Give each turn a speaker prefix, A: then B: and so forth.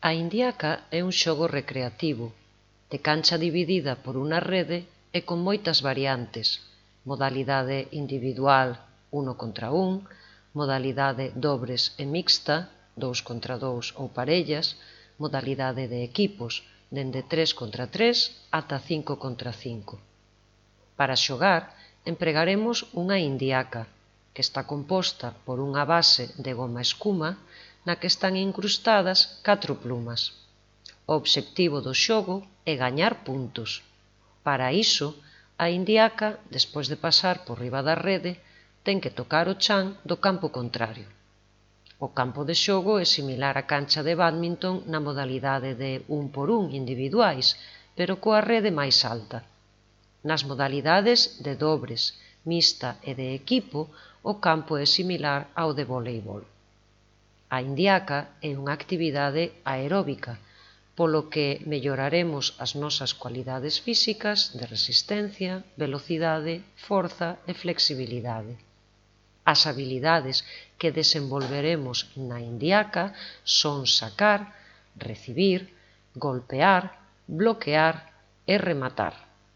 A: A indiaca é un xogo recreativo, de cancha dividida por unha rede e con moitas variantes, modalidade individual 1 contra 1, modalidade dobres e mixta 2 contra 2 ou parellas, modalidade de equipos dende 3 contra 3 ata 5 contra 5. Para xogar empregaremos unha indiaca, que está composta por unha base de goma escuma na que están incrustadas 4 plumas. O obxectivo do xogo é gañar puntos. Para iso, a indiaca, despois de pasar por riba da rede, ten que tocar o chan do campo contrario. O campo de xogo é similar á cancha de bádminton na modalidade de 1 por 1 individuais, pero coa rede máis alta. Nas modalidades de dobres, mixta e de equipo, o campo é similar ao de voleibol. A indiaca é unha actividade aeróbica, polo que melloraremos as nosas cualidades físicas de resistencia, velocidade, forza e flexibilidade. As habilidades que desenvolveremos na indiaca son sacar, recibir, golpear, bloquear e rematar.